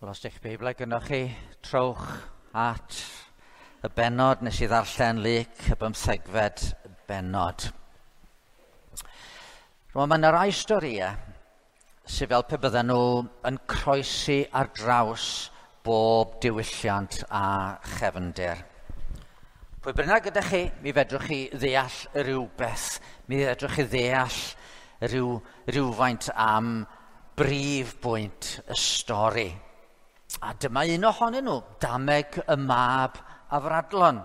Wel, os ydych Beiblau gynnwch chi, trowch at y bennod nes i ddarllen Luc, y 15fed bennod. Rwan, mae yna rai storïau sydd fel pe bydden nhw yn croesi ar draws bob diwylliant a chefndir. Pwy bynnag gyda chi, mi fedrwch chi ddeall rhywbeth, mi fedrwch chi ddeall rhywfaint am brif bwynt y stori. A dyma un ohonyn nhw, Dameg y Mab Afradlon.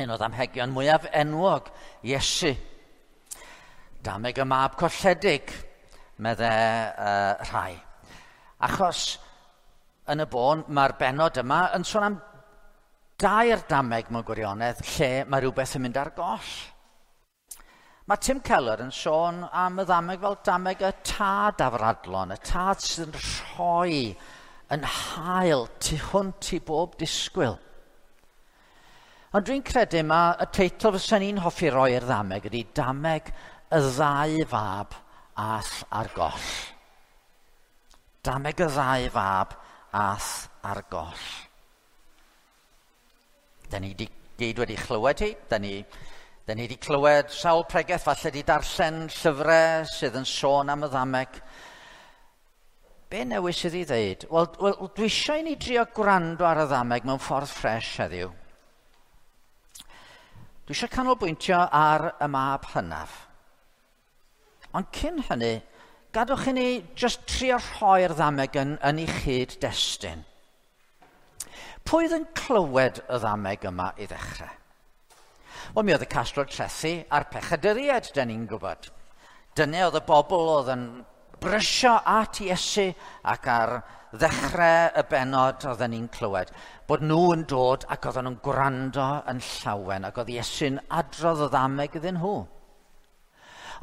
Un o ddamhegion mwyaf enwog, Iesu. Dameg y Mab Colledig, medde rhai. Achos yn y bôn, mae'r bennod yma yn sôn am dair dameg mewn gwirionedd lle mae rhywbeth yn mynd ar goll. Mae Tim Keller yn sôn am y ddameg fel dameg y tad afradlon, y tad sydd yn rhoi yn hael tu hwnt i bob disgwyl. Ond dwi'n credu mae y teitl fysa ni'n hoffi roi i'r ddameg ydy Dameg y ddau fab ath ar goll. Dameg y ddau fab ath ar goll. Da ni di gyd wedi chlywed hi, da ni wedi clywed sawl pregeth, falle di darllen llyfrau sydd yn sôn am y ddameg. Be newis sydd i ddeud? Wel, dwi eisiau i ni drio gwrando ar y ddameg mewn ffordd ffres heddiw. Dwi eisiau canolbwyntio ar y mab hynaf. Ond cyn hynny, gadwch i ni jyst trio rhoi'r ddameg yn ei chyd-destun. Pwy oedd yn clywed y ddameg yma i ddechrau? Wel, mi oedd y casglwr trethi a'r pechaduriaid, da ni'n gwybod. Dyna oedd y bobl oedd yn brysio at Iesu ac ar ddechrau y bennod oedden ni'n clywed bod nhw yn dod ac oedden nhw'n gwrando yn llawen ac oedd Iesu'n adrodd y ddameg iddyn nhw.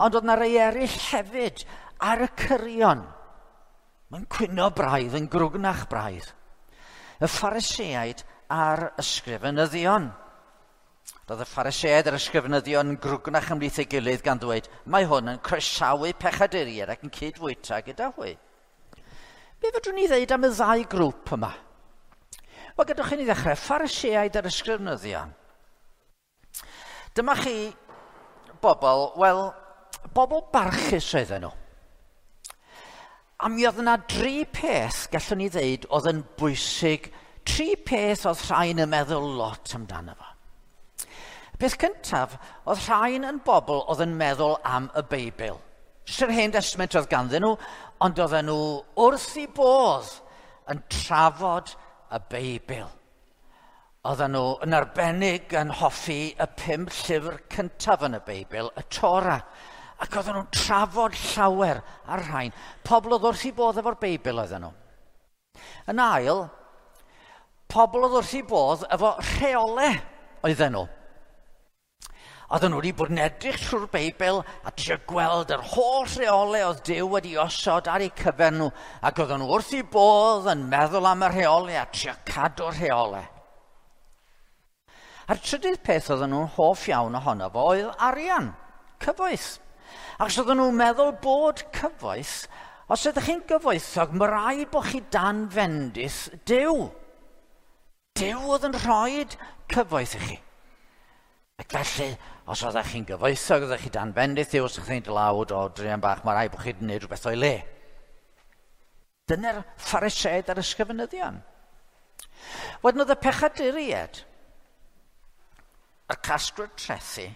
Ond oedd yna rei eraill hefyd ar y cyrion. Mae'n cwyno braidd, yn grwgnach braidd. Y Phariseaid a'r ysgrifenyddion. Roedd y Phariseaid a'r ysgrifenyddion yn grwgnach ymhlith ei gilydd gan ddweud, mae hwn yn croesawu pechaduriaid ac yn cydfwyta gyda hwy. Be fedrwn ni ddeud am y ddau grŵp yma? Wel, gadwch i ni ddechrau, Phariseaid a'r ysgrifenyddion. Dyma chi bobl, wel, bobl barchus oedden nhw. A mi oedd yna dri peth, gallwn ni ddeud, oedd yn bwysig, tri peth oedd rhain yn meddwl lot amdano fo. Peth cyntaf, oedd rhain yn bobl oedd yn meddwl am y Beibl. Jyst yr Hen Testament oedd ganddyn nhw, ond oedden nhw wrth i bodd yn trafod y Beibl. Oedden nhw yn arbennig yn hoffi y 5 llyfr cyntaf yn y Beibl, y Torah. Ac oedden nhw'n trafod llawer ar rhain. Pobl oedd wrth i bodd efo'r Beibl oedden nhw. Yn ail, pobl oedd wrth i bodd efo rheolau oedden nhw. Oedden nhw wedi bod yn edrych trwy'r Beibl a trio gweld yr holl rheolau oedd Duw wedi osod ar eu cyfer nhw, ac oedden nhw wrth i bodd yn meddwl am y rheolau a trio cadw'r rheolau. A'r trydydd peth oedden nhw'n hoff iawn ohono fo oedd arian, cyfoeth. Achos oedden nhw'n meddwl bod cyfoeth, os ydych chi'n gyfoethog, mae rhaid bod chi dan fendith Duw. Duw oedd yn rhoi cyfoeth i chi. Ac felly, os oeddech chi'n gyfoethog, oeddech chi dan bendith Duw, os ydych chi'n dlawd o druan bach, mae rhaid bod chi wedi gwneud rhywbeth o'i le. Dyna'r Phariseaid a'r ysgrifenyddion. Wedyn oedd y pechaduriaid, y casglwyr trethi,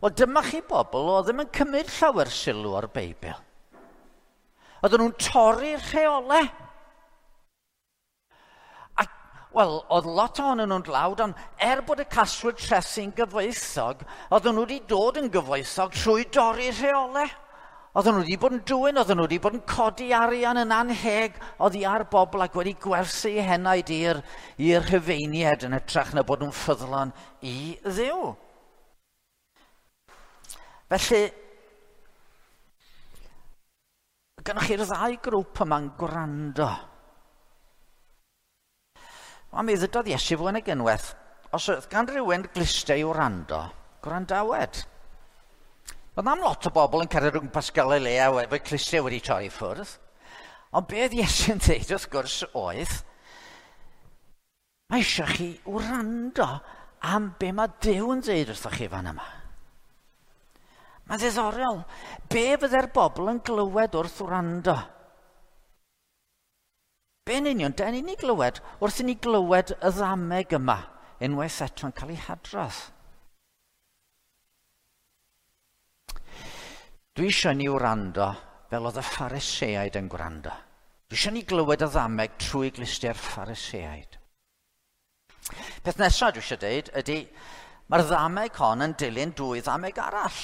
wel dyma chi bobl oedd ddim yn cymryd llawer sylw o'r Beibl. Oedden nhw'n torri'r rheolau. Wel, oedd lot ohonyn nhw'n dlawd, ond er bod y casglwyr trethi'n gyfoethog, oedden nhw wedi dod yn gyfoethog trwy dorri rheolau. Oedden nhw wedi bod yn dwyn, oedden nhw wedi bod yn codi arian yn anheg oddi ar bobl ac wedi gwerthu eu henaid i'r Rhufeiniaid yn hytrach na bod nhw'n ffyddlon i Dduw. Felly, gynnoch chi'r ddau grŵp yma'n gwrando. Wel, mi ddydodd Iesu fwy nag unwaith, os oedd gan rhywun glustau i wrando, gwrandawed. Oedd am lot o bobl yn cerdded o gwmpas Galilea efo'u clustiau wedi torri ffwrdd. Ond be oedd Iesu'n dweud wrth gwrs oedd, mae eisiau chi wrando am be mae Duw yn dweud wrthoch chi fan yma. Mae'n ddiddorol. Be fydde'r bobl yn glywed wrth wrando? Be yn union, da ni'n ei glywed wrth i ni glywed y ddameg yma unwaith eto'n cael ei hadrodd. Dwi eisiau ni wrando fel oedd y Phariseaid yn gwrando. Dwi eisiau ni glywed y ddameg trwy glustiau'r Phariseaid. Peth nesaf dwi eisiau dweud ydy, mae'r ddameg hon yn dilyn dwy ddameg arall.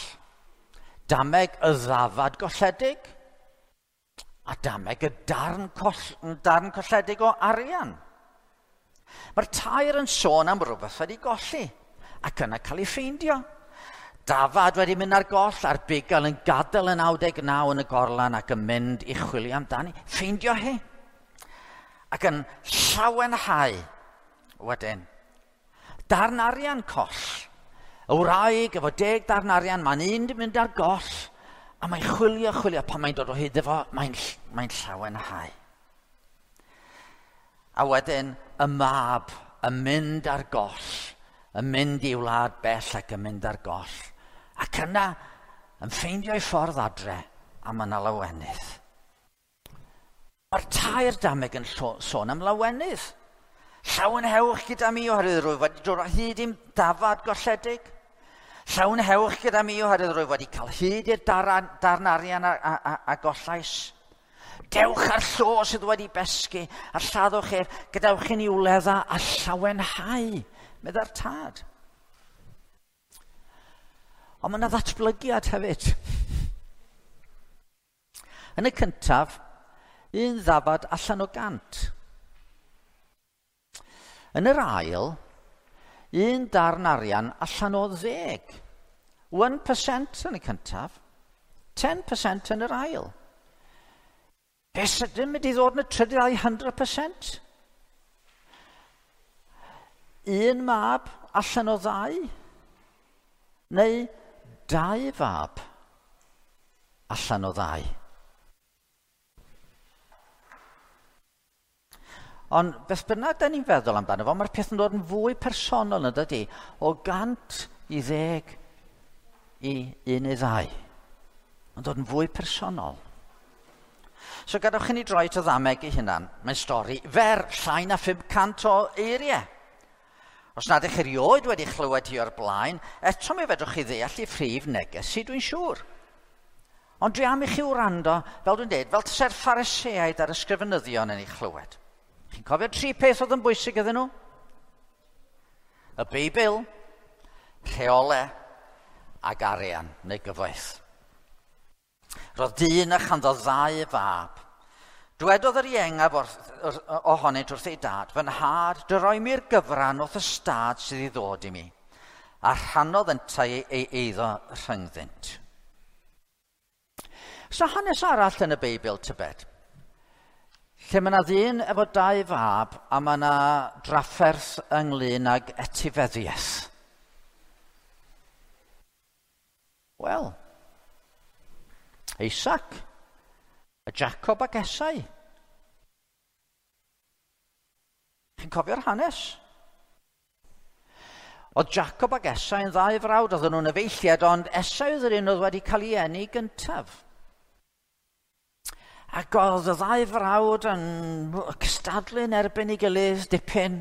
Dameg y ddafad golledig a dameg y darn colledig o arian. Mae'r tair yn sôn am rhywbeth wedi golli ac yna cael ei ffeindio. Dafad wedi mynd ar goll a'r bugail yn gadael y 99 yn y gorlan ac yn mynd i chwilio amdani. Ffeindio hi. Ac yn llawenhau wedyn. Darn arian coll. Y wraig efo 10 darn arian, mae'n un di mynd ar goll a mae'n chwilio, pan mae'n dod o hyd efo, mae'n llawenhau. A wedyn y mab yn mynd ar goll, yn mynd i wlad bell ac yn mynd ar goll. Ac yna yn ffeindio'i ffordd adre a mae yna lawenydd. Mae'r tair dameg yn sôn am lawenydd. Llawenhewch gyda mi oherwydd rwyf wedi dod o hyd i'm dafad golledig. Llawenhewch gyda mi oherwydd rwyf wedi cael hyd i'r darn arian a gollais. Dewch ar llo sydd wedi besgu a lladdwch ef, gadewch i ni wledda a llawenhau, meddai'r tad. Ond mae yna ddatblygiad hefyd. Yn y cyntaf, un ddafad allan o 100. Yn yr ail, un darn arian allan o 10. 1% yn y cyntaf, 10% yn yr ail. Be sydyn mynd i ddod yn y trydydd 100%? Un mab allan o 2, neu 2 fab allan o 2. Ond beth bynnag da ni'n feddwl amdano fo, mae'r peth yn dod yn fwy personol yn dydy, o 100 i 10 i 1 i 2. Mae'n dod yn fwy personol. So gadewch i ni droi at y ddameg ei hunan. Mae'n stori fer, llai na 500 o eiriau. Os nad ydych erioed wedi chlywed hi o'r blaen, eto mi fedrwch chi ddeall ei phrif neges i, dwi'n siŵr. Ond dwi am i chi wrando, fel dwi'n dweud, fel tase'r Phariseaid a'r ysgrifenyddion yn ei chlywed. Chi'n cofio 3 peth oedd yn bwysig iddyn nhw? Y Beibl, rheolau ac arian neu gyfoeth. Roedd dyn a chanddo 2 fab. Dwedodd yr iengaf ohonynt wrth ei dad, fy nhad, dyroi mi'r gyfran wrth y stad sydd i ddod i mi, a rhannodd yntau ei eiddo rhyngddynt. So hanes arall yn y Beibl, tybed, lle mae yna ddyn efo 2 fab a mae yna drafferth ynglyn ag etifeddiaeth. Wel, Isaac, a Jacob ac Esau. Chi'n cofio'r hanes? Oedd Jacob ac Esau yn 2 frawd, oedden nhw'n efeilliad, ond Esau oedd yr un oedd wedi cael ei eni gyntaf. Ac oedd y 2 frawd yn cystadlu yn erbyn ei gilydd dipyn.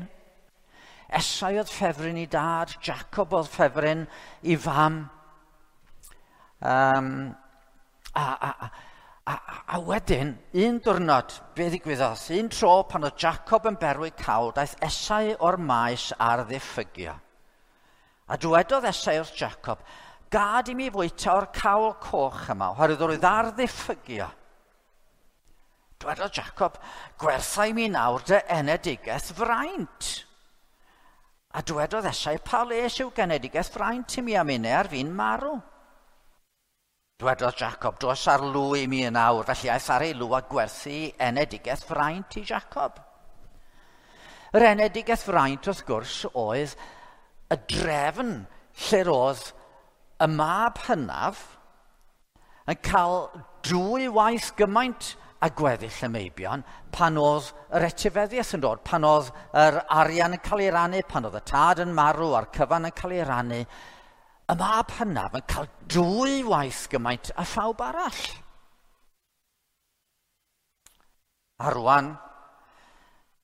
Esau oedd ffefryn i dad, Jacob oedd ffefryn i fam. A wedyn, un diwrnod, be ddigwyddodd? Un tro pan oedd Jacob yn berwi cawl, daeth Esau o'r maes ar ddiffygio. A dywedodd Esau wrth Jacob, gad i mi fwyta o'r cawl coch yma, oherwydd roedd ar ddiffygio. Dywedodd Jacob, gwertha i mi nawr dy enedigaeth fraint. A dywedodd Esau, pa les yw genedigaeth fraint i mi am unau ar fi'n marw? Dwedodd Jacob, dos ar lw i mi yn awr, felly aeth ar ei lw a gwerthu enedigaeth fraint i Jacob. Yr enedigaeth fraint, wrth gwrs, oedd y drefn lle roedd y mab hynaf yn cael 2 waith gymaint a gweddill y meibion pan oedd yr etifeddiaeth yn dod, pan oedd yr arian yn cael ei rannu, pan oedd y tad yn marw a'r cyfan yn cael ei rannu, y mab hynaf yn cael 2 waith gymaint a phawb arall. A rwan,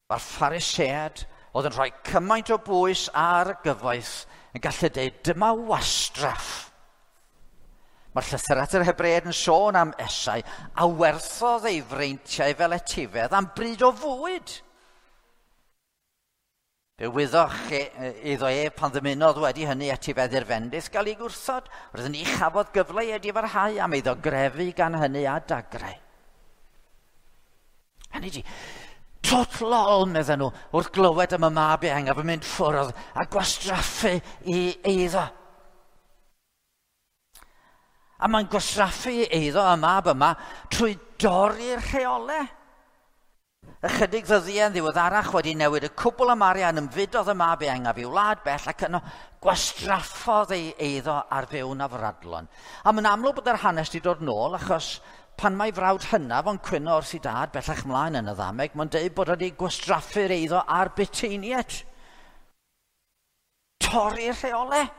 mae'r Phariseaid oedd yn rhoi cymaint o bwys ar y gyfoeth yn gallu dweud, dyma wastraff. Mae'r llythyr at yr Hebreaid yn sôn am Esau a werthodd ei freintiau fel etifedd am bryd o fwyd. Fe wyddoch iddo ef pan ddymunodd wedi hynny etifeddu'r fendith gael ei gwrthod, roedd ni chafodd gyfle i edifarhau am iddo grefu gan hynny a dagrau. Hynny di, twt lol, medden nhw, wrth glywed am y mab ieuengaf yn mynd ffwrdd a gwastraffu i eiddo. A mae'n gwastraffu eiddo y mab yma trwy dorri'r rheolau. Ychydig ddyddiau yn ddiweddarach wedi newid y cwbl am arian, ymfudodd y mab ieuengaf i'w wlad bell ac yno gwastraffodd ei eiddo ar fyw'n afradlon. A mae'n amlwg bod yr hanes wedi dod nôl achos pan mae frawd hynaf o'n cwyno wrth ei dad bellach mlaen yn y ddameg, mae'n deud bod wedi gwastraffu'r eiddo ar buteiniaid. Torri'r rheolau.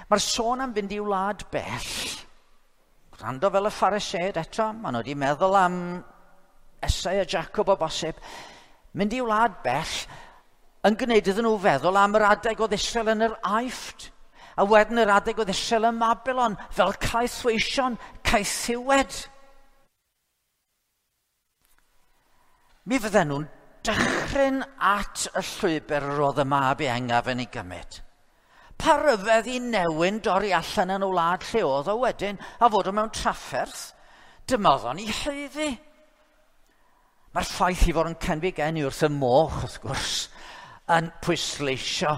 Mae'r sôn am fynd i wlad bell. Gwrando fel y Phariseaid eto, maen nhw wedi meddwl am Esau a Jacob o bosib. Mynd i wlad bell yn gwneud iddyn nhw feddwl am yr adeg oedd Israel yn yr Aifft. A wedyn yr adeg oedd Israel ym Mabilon, fel caethweision, caethiwed. Mi fydden nhw'n dychryn at y llwybr yr oedd y mab ieuengaf yn ei gymryd. Pa ryfedd i newyn dorri allan yn y wlad lle oedd o wedyn a fod o mewn trafferth, dyma oedd o'n ei haeddu. Mae'r ffaith i fod yn cenfigennu wrth y moch, wrth gwrs, yn pwysleisio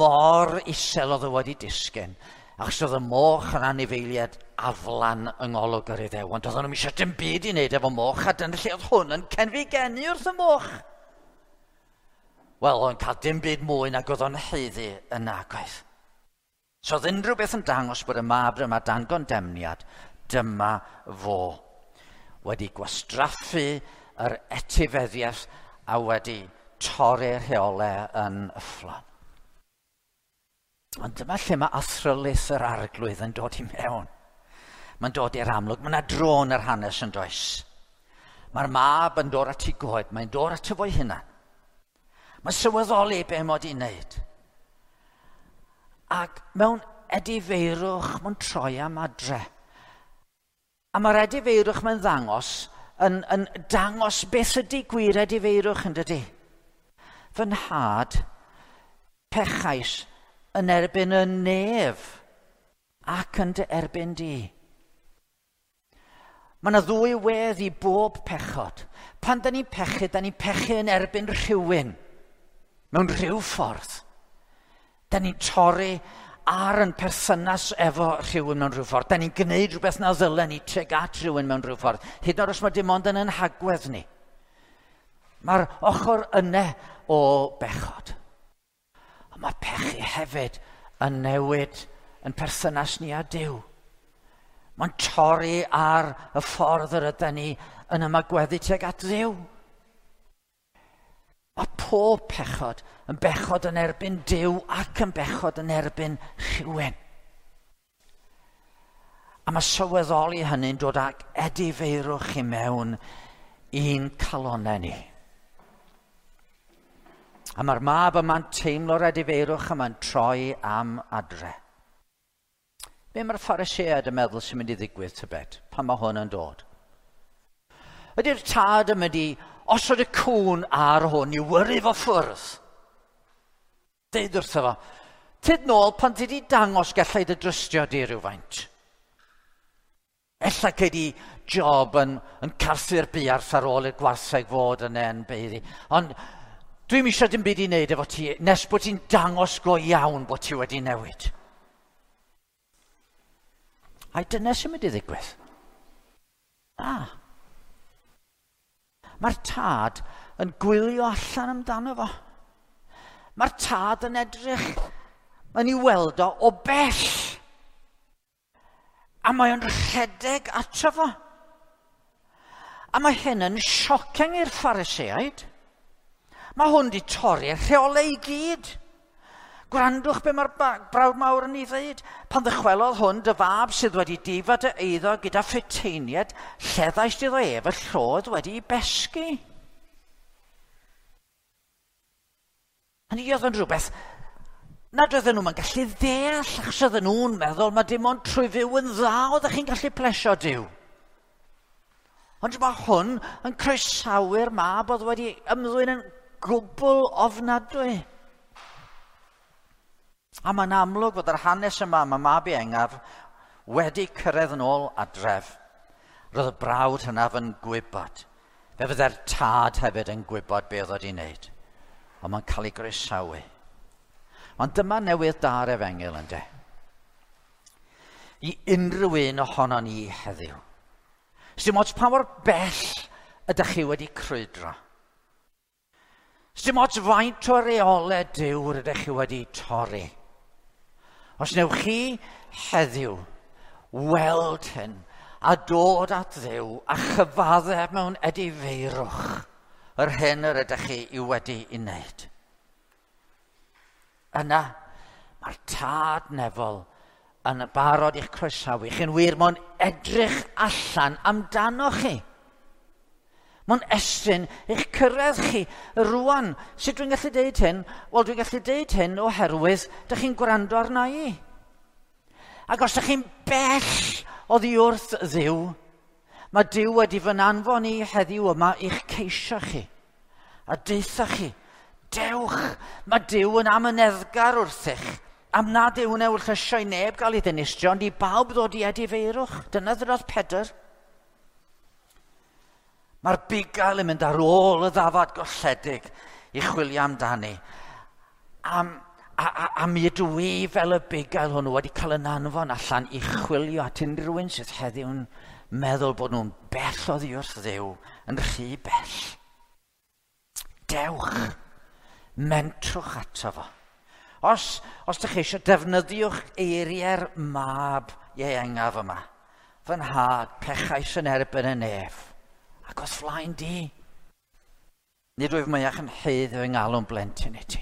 mor isel oedd o wedi disgyn. Achos oedd y moch yn anifeiliaid aflan yng ngolwg yr Iddewon. Doedden nhw'm eisiau dim byd i wneud efo moch, a dyna lle oedd hwn yn cenfigennu wrth y moch. Wel, oedd o'n cael dim byd mwy nag oedd o'n haeddu yn nagoedd. So oedd unrhyw beth yn dangos bod y mab yma dan gondemniad, dyma fo. Wedi gwastraffu yr etifeddiaeth a wedi torri'r rheolau yn yfflon. Ond dyma lle mae athrylith yr arglwydd yn dod i mewn. Mae'n dod i'r amlwg. Mae yna dro yn yr hanes yn does. Mae'r mab yn dod at ei goed, mae'n dod at fo'i hunan. Mae'n sylweddoli be mod i'n wneud. Ac mewn edifeirwch, mae'n troi am adre. A mae'r edifeirwch mae'n ddangos, yn dangos beth ydy gwir edifeirwch yn dydy. Fy nhad, pechais yn erbyn y nef ac yn dy erbyn di. Mae yna ddwy wedd i bob pechod. Pan da ni'n pechu, da ni'n pechu yn erbyn rhywun. Mewn rhyw ffordd. Da ni'n torri ar yn perthynas efo rhywun mewn rhyw ffordd. Da ni'n gwneud rhywbeth na ddylen ni tuag at rhywun mewn rhyw ffordd. Hyd yn oed os mae dim ond yn ein hagwedd ni. Mae'r ochr yna o bechod. Ond mae pechu hefyd yn newid yn perthynas ni â Duw. Mae'n torri ar y ffordd yr ydyn ni yn ymagweddu tuag at Dduw. Mae pob pechod yn bechod yn erbyn Duw ac yn bechod yn erbyn rhywun. A mae sylweddoli hynny'n dod ag edifeirwch i mewn i'n calonnau ni. A mae'r mab yma'n teimlo'r edifeirwch yma'n troi am adre. Be mae'r Phariseaid yn meddwl sy'n mynd i ddigwydd tybed pan mae hwn yn dod? Ydy'r tad yn mynd i osod y cŵn ar hwn i wyrru fo ffwrdd? Deud wrtho fo, tyd nôl pan ti di dangos gallai dy drystio di rhywfaint. Ella cei di job yn carthu'r buarth ar ôl i'r gwartheg fod yn en beiddi. Ond dwi'm eisiau dim byd i wneud efo ti nes bod ti'n dangos go iawn bod ti wedi newid. Ai dyna sy'n mynd i ddigwydd? Na. Mae'r tad yn gwylio allan amdano fo. Mae'r tad yn edrych, mae'n ei weld o bell. A mae o'n rhedeg ato fo. A mae hyn yn shocking i'r Phariseaid. Mae hwn wedi torri'r rheolau i gyd. Gwrandwch be mae'r brawd mawr yn ei ddweud. Pan ddychwelodd hwn, dy fab sydd wedi difa dy eiddo gyda phuteiniaid, lleddaist iddo ef y llodd wedi ei besgu. Hynny oedd yn rhywbeth nad oedden nhw'n gallu ddeall, achos oedden nhw'n meddwl mae dim ond trwy fyw yn dda oeddech chi'n gallu plesio Duw. Ond mae hwn yn croesawu'r mab oedd wedi ymddwyn yn gwbl ofnadwy. A mae'n amlwg fod yr hanes yma, mae mab iengaf wedi cyrraedd yn ôl adref. Roedd y brawd hynaf yn gwybod. Fe fydde'r tad hefyd yn gwybod beth oedd wedi wneud. Ond mae'n cael ei groesawu. Ond dyma newydd da'r efengyl, ynde. I unrhyw un ohono ni heddiw. Sdim ots pa mor bell ydych chi wedi crwydro. Sdim ots faint o reolau Duw rydych chi wedi torri. Os newch chi heddiw weld hyn a dod at Dduw a chyfaddef mewn edifeirwch yr hyn yr ydych chi i wedi ei wneud. Yna, mae'r tad nefol yn barod i'ch croesawu. Chi'n wir, mae'n edrych allan amdano chi. Mae'n estyn eich cyrraedd chi rwan. Sut dwi'n gallu deud hyn? Wel, dwi'n gallu deud hyn oherwydd dych chi'n gwrando arna i. Ac os dych chi'n bell oddi wrth Dduw, mae Duw wedi fy anfon i heddiw yma i'ch ceisio chi. A deutha chi, dewch, mae Duw yn amyneddgar wrthych. Am nad yw'n ewyllysio i neb gael ei ddinistrio, ond i bawb ddod i edifeirwch. Dyna ddwedodd Pedr. Mae'r bugail yn mynd ar ôl y ddafad golledig i chwilio amdani. A mi ydw i fel y bugail hwnnw wedi cael yn anfon allan i chwilio at unrhyw un sydd heddiw'n meddwl bod nhw'n bell oddi wrth Dduw, yn rhy bell. Dewch, mentrwch ato fo. Os ydych chi eisiau, defnyddiwch eiriau'r mab ieuengaf yma. Fy nhad, pechais yn erbyn y nef, ac o'th flaen di. Nid wyf mwyach yn haeddu fy ngalw'n blentyn i ti.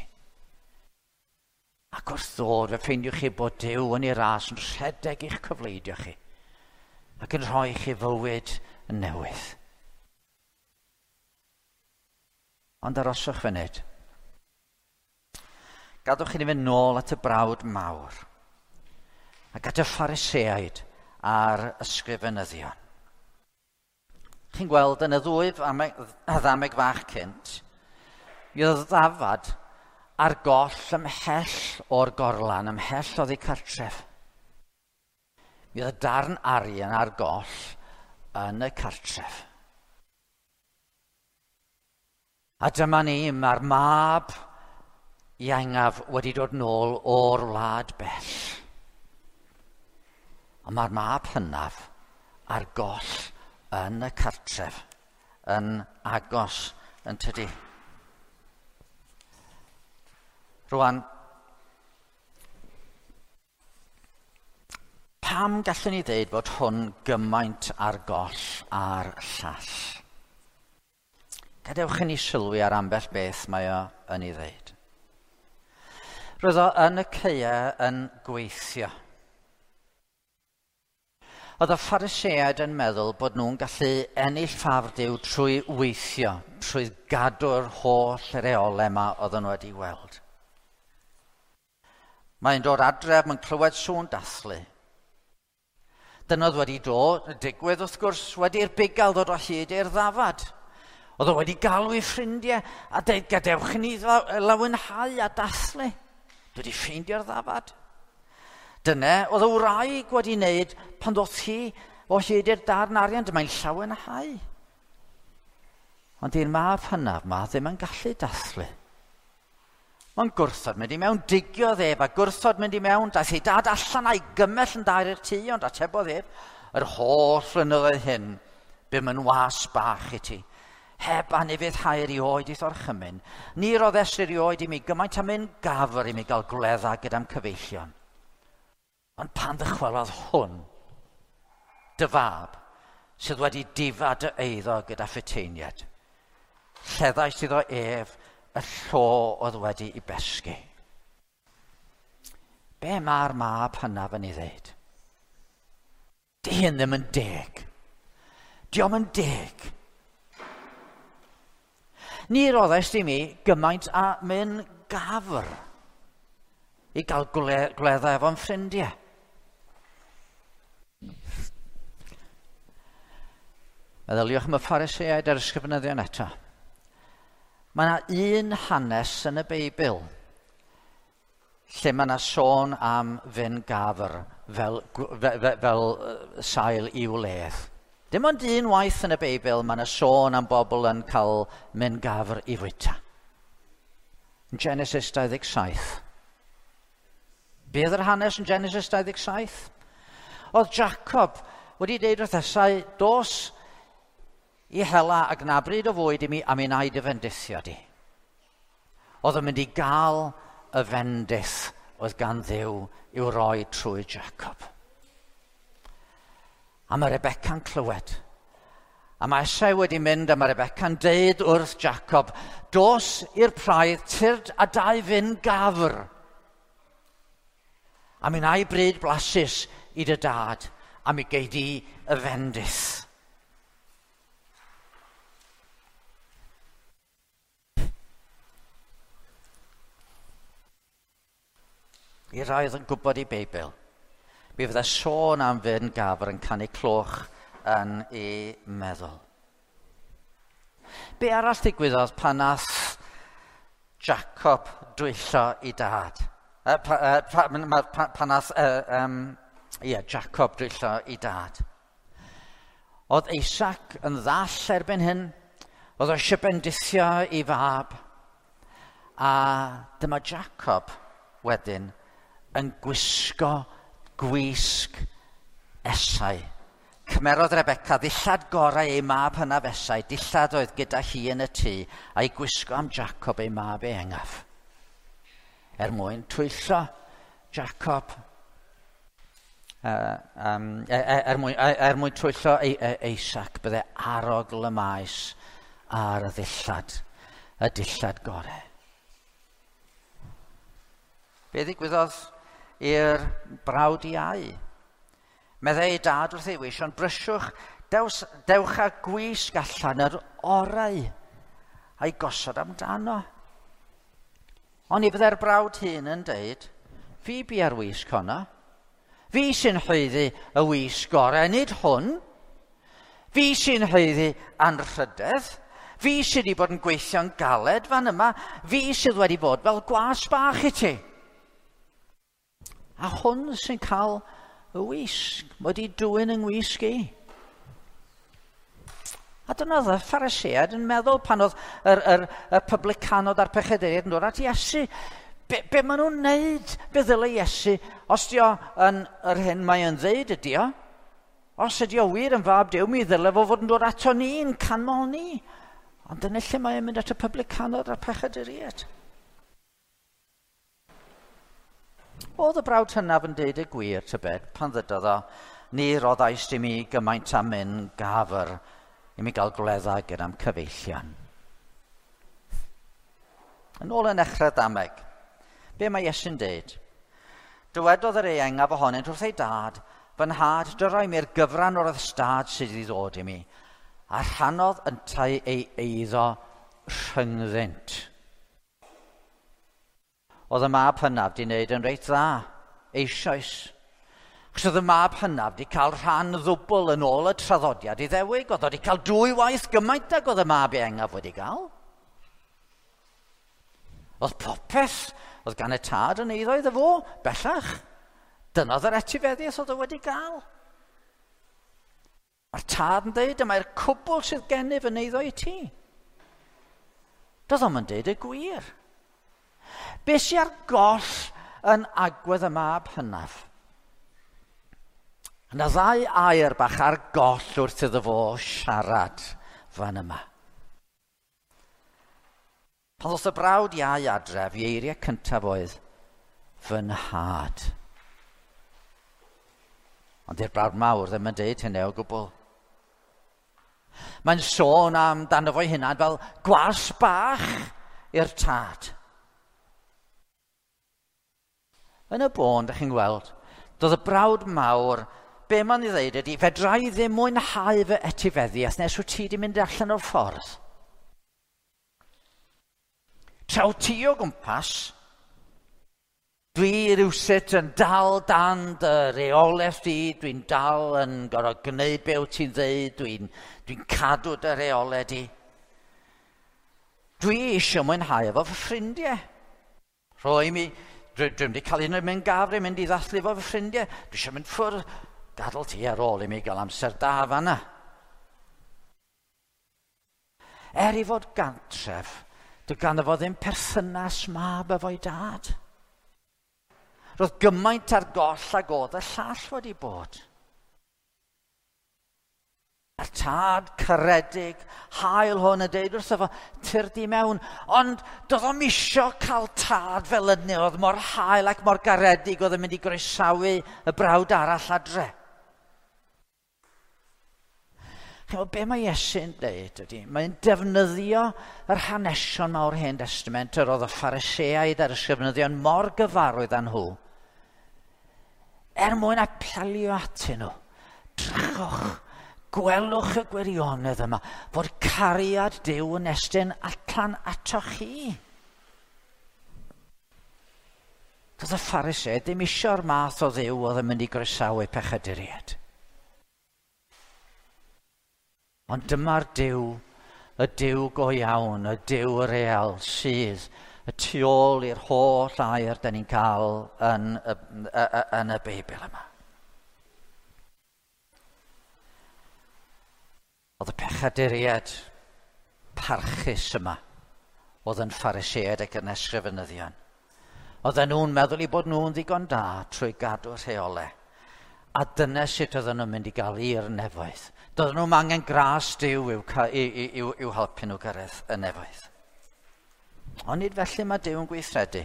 Ac wrth ddod, fe ffeindiwch chi bod Duw yn ei ras yn rhedeg i'ch cyfleidio chi ac yn rhoi chi fywyd yn newydd. Ond aroswch funud. Gadwch i ni fynd nôl at y brawd mawr ac at y Phariseaid a'r ysgrifenyddion. Chi'n gweld yn y ddwy ddameg fach cynt, mi oedd ddafad ar goll ymhell o'r gorlan, ymhell oddi cartref. Mi oedd darn arian ar goll yn y cartref. A dyma ni, mae'r mab iengaf wedi dod nôl o'r wlad bell. Ond mae'r mab hynaf ar goll yn y cartref, yn agos yn tydi. Rwan, pam gallwn ni ddeud bod hwn gymaint ar goll a'r llall? Gadewch i ni sylwi ar ambell beth mae o yn ei ddeud. Roedd o yn y caeau yn gweithio. Oedd y Phariseaid yn meddwl bod nhw'n gallu ennill ffafr Duw trwy weithio, trwy gadw'r holl reolau yma oedden nhw wedi weld. Mae'n dod adref, mae'n clywed sŵn dathlu. Dyna oedd wedi dod, digwydd wrth gwrs, wedi'r bugail ddod o hyd i'r ddafad. Oedd o wedi galw ei ffrindiau a dweud, gadewch i ni lawenhau a dathlu. Dwi wedi ffeindio'r ddafad. Dyna oedd y wraig wedi wneud pan ddoth hi o hyd i'r darn arian, dyma'n llawenhau. Ond i'r mab hynaf ma ddim yn gallu dathlu. Mae'n gwrthod mynd i mewn, digiodd ef a gwrthod mynd i mewn, daeth ei dad allan a'i gymell yn dair i'r tŷ, ond atebodd ef, yr holl flynyddoedd hyn, bum yn was bach i ti. Heb anufuddhau erioed i'th orchymyn, ni roddes erioed i mi gymaint am un gafr i mi gael gwledda gyda'm cyfeillion. Ond pan ddychwelodd hwn, dy fab, sydd wedi difa dy eiddo gyda phuteiniaid. Lleddais iddo ef y llo oedd wedi i besgu. Be mae'r mab hynaf yn ei ddeud? Di hyn ddim yn deg. Dio'm yn deg. Ni roddaist i mi gymaint a myn gafr i gael gwledda efo'n ffrindiau. Meddyliwch am y Phariseaid a'r ysgrifenyddion eto. Mae yna un hanes yn y Beibl lle mae yna sôn am fyn gafr fel sail i'w wledd. Dim ond un waith yn y Beibl mae yna sôn am bobl yn cael myn gafr i fwyta. Yn Genesis 27. Be oedd yr hanes yn Genesis 27? Oedd Jacob wedi deud wrth Esau, dos i hela ac na bryd o fwyd i mi a mi wna i dy fendithio di. Oedd yn mynd i gael y fendith oedd gan Dduw i'w roi trwy Jacob. A mae Rebecca'n clywed. A mae Esau wedi mynd a mae Rebecca'n deud wrth Jacob, dos i'r praidd, tyrd a dau fyn gafr. A mi wna i bryd blasus i dy dad, a mi gei di y fendith. I rai oedd yn gwybod ei Beibl, mi fydde sôn am fyn gafr yn canu cloch yn ei meddwl. Be arall ddigwyddodd pan nath Jacob dwyllo i dad? Pan nath Jacob dwyllo i dad. Oedd Isaac yn ddall erbyn hyn, oedd o eisiau bendithio i fab, a dyma Jacob wedyn yn gwisgo gwisg Esau. Cymerodd Rebecca ddillad gorau ei mab hynaf Esau, dillad oedd gyda hi yn y tŷ, a'i gwisgo am Jacob ei mab ehangaf. Er mwyn twyllo Jacob, er mwyn twyllo Isaac, bydde arogl y maes ar y dillad gorau. Be ddigwyddodd i'r brawd iau? Meddai ei dad wrth ei weision, brysiwch, dewch â gwisg allan yr orau a'i gosod amdano. Ond i fydde'r brawd hyn yn deud, fi bia'r wisg honno. Fi sy'n haeddu y wisg gorau, nid hwn. Fi sy'n haeddu anrhydedd. Fi sydd wedi bod yn gweithio'n galed fan yma. Fi sydd wedi bod fel gwas bach i ti. A hwn sy'n cael y wisg, wedi dwyn yng ngwisg i. A dyna oedd y Phariseaid yn meddwl pan oedd y publicanod a'r pechaduriaid yn dod at Iesu. Be maen nhw'n neud? Be ddyle Iesu? Os di o yn yr hyn mae yn ddeud ydi o, os ydi o wir yn fab Duw, mi ddyle fo fod yn dod ato ni'n canmol ni. Ond dyna lle mae yn mynd at y publicanod a'r pechaduriaid. Oedd y brawd hynaf yn deud y gwir, tybed, pan ddydodd o, ni roddaist i mi gymaint am myn gafr i mi gael gwledda gyda'n cyfeillion. Yn ôl yn echrau dameg, be mae Iesu'n deud? Dywedodd yr ieuengaf ohonynt wrth ei dad, fy nhad, dyroi mi'r gyfran o'r ystâd sydd i ddod i mi, a rhannodd yntau ei eiddo rhyngddynt. Oedd y mab hynaf di wneud yn reit dda, eisoes. Achos oedd y mab hynaf di cael rhan ddwbl yn ôl y traddodiad Iddewig. Oedd o di cael dwy waith gymaint ag oedd y mab ieuengaf wedi cael. Oedd popeth oedd gan y tad yn eiddo iddo fo, bellach. Dyna oedd yr etifeddiaeth oedd o wedi gael. Mae'r tad yn dweud, mae'r cwbl sydd gennyf yn eiddo i ti. Doedd o'm yn deud y gwir. Be sy ar goll yn agwedd y mab hynaf? Yna ddau air bach ar goll wrth iddo fo siarad fan yma. Pan ddoth y brawd iau adref, ei eiriau cyntaf oedd, fy nhad. Ond i'r brawd mawr ddim yn deud hynny o gwbl. Mae'n sôn amdano fo'i hunan fel gwas bach i'r tad. Yn y bôn, ydych chi'n gweld, doedd y brawd mawr, be mae'n ei ddeud ydy, fedra i ddim mwynhau fy etifeddiaeth nes wyt ti wedi mynd allan o'r ffordd. Tra wyt ti o gwmpas, dwi rywsut yn dal dan dy reolaeth di, dwi'n dal yn gorfod gwneud be wyt ti'n ddeud, dwi'n dwi cadw dy reolau di. Dwi eisiau mwynhau efo fy ffrindiau. Rhoi mi, dwi'n wedi cael un o'r mynd gafr i mynd i ddathlu efo fy ffrindiau. Dwi eisiau mynd ffwrdd, gadael ti ar ôl i mi gael amser da fanna. Er i fod gantref, dwi ganddo fo ddim perthynas mab efo'i dad. Roedd gymaint ar goll ag oedd y llall wedi bod. A'r tad caredig, hael hwn yn deud wrtho fo, tyrd i mewn. Ond doedd o'm isio cael tad fel yny, oedd mor hael ac mor garedig oedd yn mynd i groesawu y brawd arall adre. Chi'mod, be mae Iesu'n deud ydy, mae'n defnyddio yr hanesion mawr Hen Testament, yr oedd y Phariseaid a'r ysgrifenyddion mor gyfarwydd â nhw, er mwyn apelio atyn nhw. Drychwch, gwelwch y gwirionedd yma, fod cariad Duw yn estyn allan atoch chi. Doedd y Phariseaid ddim isio'r math o Dduw oedd yn mynd i groesawu pechaduriaid. Ond dyma'r Duw, y Duw go iawn, y Duw real sydd y tu ôl i'r holl air da ni'n cael yn y Beibl yma. Oedd y pechaduriaid parchus yma oedd yn Phariseaid ac yn ysgrifenyddion. Oedden nhw'n meddwl i bod nhw'n ddigon da trwy gadw rheolau. A dyna sut oedden nhw'n mynd i gael i'r nefoedd. Doedden nhw'n angen gras Duw i'w helpu nhw gyrraedd y nefoedd. Ond nid felly mae Duw yn gweithredu.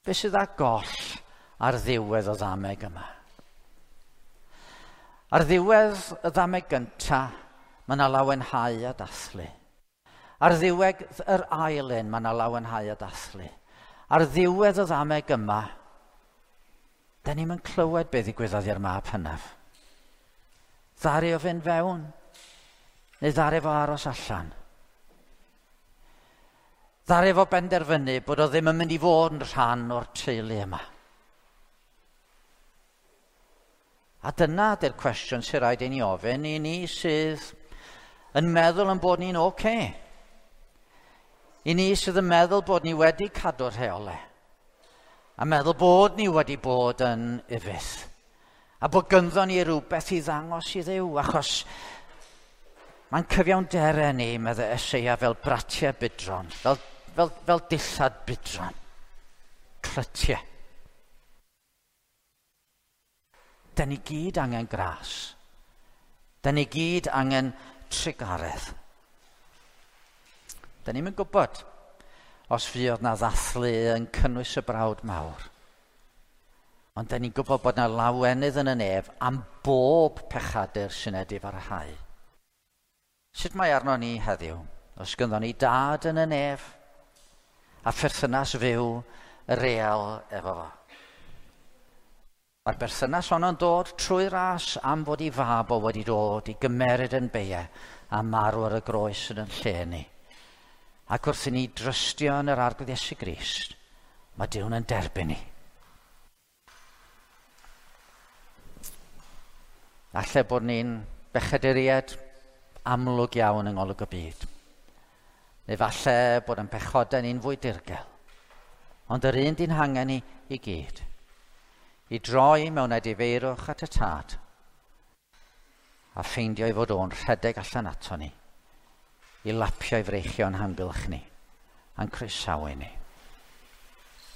Be sydd â goll ar ddiwedd y ddameg yma? Ar ddiwedd y ddameg gyntaf, mae yna lawenhau a dathlu. Ar ddiwedd yr ail un, mae yna lawenhau a dathlu. Ar ddiwedd y ddameg yma, da ni'm yn clywed beth ddigwyddodd i'r mab hynaf. Ddaru o fynd fewn, neu ddaru fo aros allan. Ddaru fo benderfynu bod o ddim yn mynd i fod yn rhan o'r teulu yma. A dyna ydy'r cwestiwn sy'n rhaid i ni ofyn i ni sydd yn meddwl yn bod ni'n oce. I ni sydd yn meddwl bod ni wedi cadw'r rheolau. A meddwl bod ni wedi bod yn ufudd. A bod gynddo ni rhywbeth i ddangos i Dduw, achos mae'n cyfiawnderau ni, meddai Eseia, fel bratiau budron, fel dillad budron, clytiau. Da ni gyd angen gras. Da ni gyd angen trugaredd. Da ni'm yn gwybod os fuodd na ddathlu yn cynnwys y brawd mawr. Ond da ni'n gwybod bod na lawenydd yn y nef am bob pechadur sy'n edifarhau. Sut mae arno ni heddiw? Os gynddon ni dad yn y nef a pherthynas fyw real efo fo. Mae'r berthynas honno'n dod trwy ras am fod ei fab o wedi dod i gymeryd yn beia a marw ar y groes yn yn lle ni. Ac wrth i ni drystio yn yr Arglwydd Iesu Grist, mae Duw'n yn derbyn ni. Alle bod ni'n bechaduriaid amlwg iawn yng ngolwg y byd. Neu falle bod yn pechodau ni'n fwy dirgel. Ond yr un di'n hangen ni i gyd. I droi mewn edifeirwch at y tad a ffeindio ei fod o'n rhedeg allan ato ni, i lapio ei freichio'n hamgylch ni, a'n croesawu ni.